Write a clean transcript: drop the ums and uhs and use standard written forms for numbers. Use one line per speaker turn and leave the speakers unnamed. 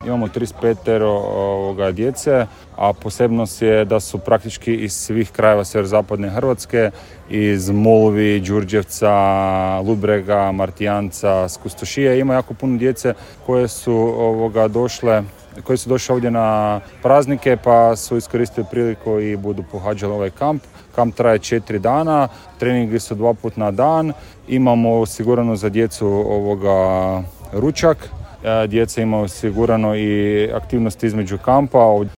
imamo 35 djece, a posebnost je da su praktički iz svih krajeva sjeverozapadne Hrvatske, iz Molvi, Đurđevca, Ludbrega, Martijanca, Skustošije. Ima jako puno djece koje su koji su došli ovdje na praznike pa su iskoristili priliku i budu pohađali ovaj kamp. Kamp traje 4 dana, treningi su 2 puta na dan, imamo osigurano za djecu ručak, djeca imaju osigurano i aktivnosti između kampa.